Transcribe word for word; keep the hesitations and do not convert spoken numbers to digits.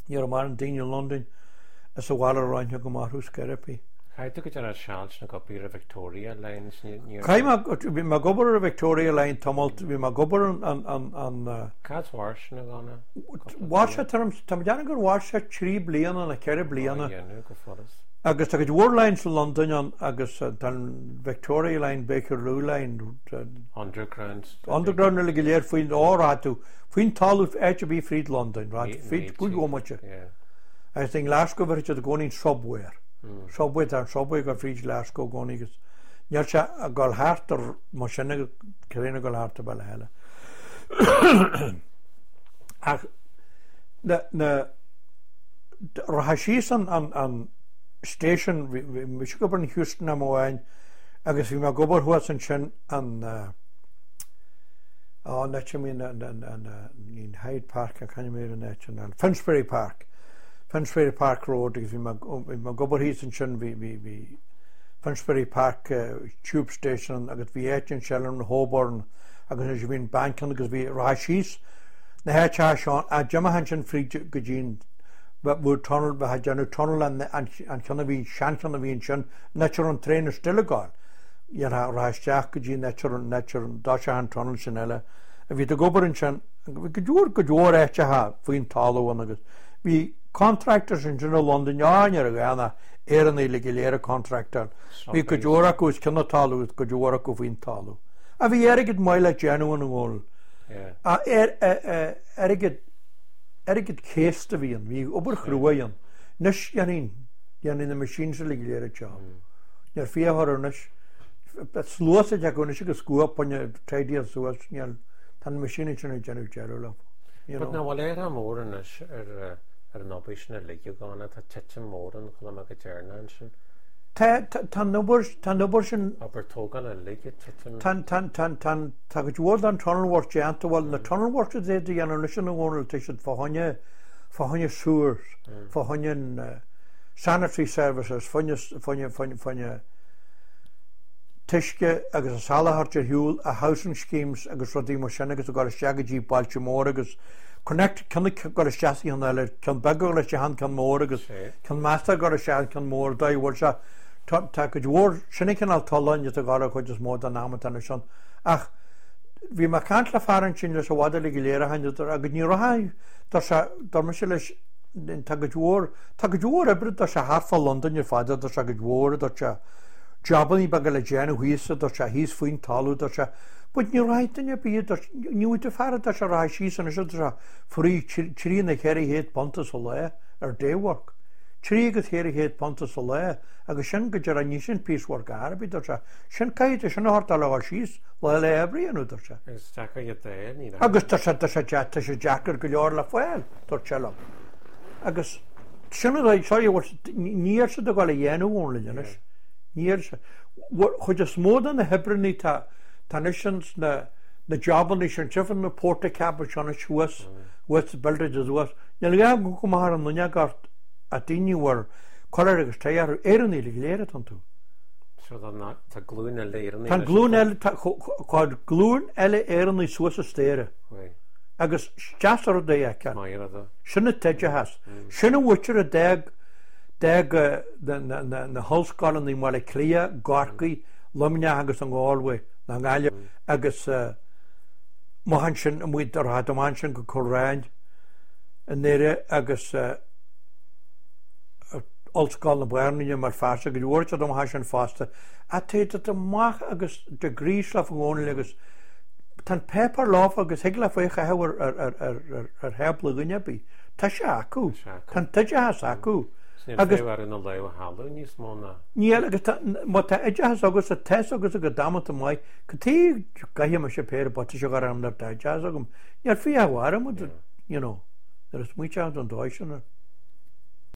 Ní raibh mórán daoine i Londain is sa bhaile a raibh aithne agam orthu scor ar bith. Chaith tú go deo seal sin ag obair ar Victoria Line? Chaith mé, bhí mé ag obair ar Victoria Line tamalt, bhí mé ag obair an, an, an, an. Cad mhair sin a Dhonna? Mhair sé, tá mé ag déanamh gur mhair sé trí bliana nó ceithre bliana. Á dhéanamh go follas. Agus tá cuid mhór lines i Londain ann agus tá an Victoria Line, Bakerloo Line. Underground. Underground uilig go léir faoin, ó, rachaidh tú faoin talamh áit ar bith fríd Londain, rachaidh tú fríd cúig bhomaite. Agus i nGlasgow bheir siad i gcónaí an subway air. Subway, tá an subway ag dul fríd Glasgow i gcónaí agus níl sé ag dul thart ar mar sin ag traein ag dul thart ar bealach eile. Ach na, na, rachfá síos an, an, an station, bhí, bhí mise ag obair in Heuston am amháin agus bhí mé ag obair thuas ansin an, uh, Á, an áit a mbíonn an, an, an, ní an Hyde Park ach c'ainm ar an áit sin, an Finsbury Park, Finsbury Park Road agus bhí mé, bhí mé ag obair thíos ansin, bhí, bhí, bhí Finsbury Park Tube Station agus bhí áit ansin an Holborn agus ansin bhí an bank ann agus bhí, rachfá síos na háiteacha seo, a d'imigh ansin fríd go dtí an, bhí tunnel, bheith ag déanamh tunnel an, an, an ceann a bhí, seancheann a bhí ansin, an áit a raibh an traein still ag gabháil. Dhéanfá rachfá isteach go dtí an áit a raibh an áit a raibh an dtoiseach an tunnel sin eile a bhí ag obair ansin. Bhí go leor go leor áiteacha faoin talamh ann agus bhí contractors ansin i Londain, á ní raibh aon ach Éireannaigh uilig go léir ag contractáil. Bhí cuid mhór acu os cionn an talaimh agus cuid mhór acu faoin talamh. Ach bhí airgead maith le déanamh ann a Dhónaill. Airgead airgead céasta a bhí ann. Bhí obair chrua ann. Anois dhéanfainn dhéanfainn na machines uilig go léir an job. Níl fiach orthu anois. Sluas ag acu anois agus scuab fá choinne tidy suas, níl, tá na machines sin ag déanamh deireadh leo. You But know. nach bhfuil athrú mór anois ar ar an obair sin uilig a Dhonna, tá titim mór ann chuala mé go deireanach ansin. Tá, tá, tá an obair, tá an obair sin. Obair tógála uilig ag titim. Tá, tá, tá, tá, tá cuid mhór den tunnel work déanta, bhuel na tunnel works a dhéanamh anois ina gcónaí, tá siad fá choinne, fá choinne sewers, fá choinne an sanitary services, fá choinne, fá choinne, fá choinne, fá choinne t-uisce agus a soláthar ar shiúl, a housing schemes agus rudaí mar sin agus ag dul isteach go dtí bailte móra agus connect, ceann ag dul isteach sa cheann eile, ceann beag ag dul isteach an ceann mór agus ceann measta ag dul isteach an ceann mór, dóigh a bhfuil sé, tá, tá cuid mhór, sin an cineál tolláin atá ag dul ar chuid is mó den am atá anois ann. Ach bhí mé ag caint le fear ansin leis i bhfad uilig go léir a tháinig agus ní raibh, tá sé, dar mise leis, Tá cuid mhór, tá cuid mhór oibre, tá sé thart fá Londain ar fad, tá sé cuid mhór, tá sé jabannaí beaga le déanamh thíos, tá sé thíos faoin talamh, tá sé, but ní rachaidh duine ar bith, tá, ní bhfuil tú fear, tá sé rachaidh síos anois, tá sé free trí nó ceithre chéad punt sa lá ar day work. Trí agus ceithre chéad punt sa lá agus sin go deireadh, ní sin piece work ar bith, tá sé, sin caithfidh tú sin a thabhairt le dhul síos lá le oibre a dhéanamh, tá sé. Agus deacair iad a fháil, ní Agus tá sé, tá sé, tá sé deacair go leor le fáil, dúirt sé liom. Agus sin an dóigh, sorry, níl siad ag dul a dhéanamh ón linn anois. Níl siad. Chuid is mó de na hoibreanna tá, tá anois ins na, na jabannaí sin, tchífeá na portacabins seo anois thuas, thuas sa buildings thuas. Níl gá go go maith ar an fhuinneog ort ach daoine a bhfuil collar agus tie orthu, Éireannaigh uilig go léir atá iontu. So tá na, tá glúin eile Éireannaigh Tá anois glúin iontu. eile, tá, tá glúin eile Éireannaigh suas an staighre. Right. Agus is deas an rud é a fheiceáil. Maith an rud é. Sin an t-oideachas. Sin an mhuintir a d'fhág, d'fhág na, na, na, na hollscoileanna i mBaile Átha Cliath, gCorcaigh, Luimneach agus an Galway, na nGaillimh agus amach ansin, amuigh, rachadh amach ansin go Coleraine i nDoire agus Ollscoil na Banríona i mBéal Feirste, go leor siad amach ansin fosta. Ach téid siad amach agus degrees leofa i gcónaí agus Tá an páipéar leofa agus thig leofa é a chaitheamh ar, ar, ar, ar, ar, ar thábla dhuine ar bith. Tá sé acu. Tá sé acu. Tá an t-oideachas acu. Is níl Agus fiú ar na lámha thalamh níos mó ná. Níl, agus tá, má tá oideachas agatsa, tá fhios agatsa go damanta maith, cad chuige go gcaithfidh mise péire buataisí a chur orm nuair atá oideachas agam. Níl fiach orm, you know, nuair a smaointeoidh an dóigh sin air.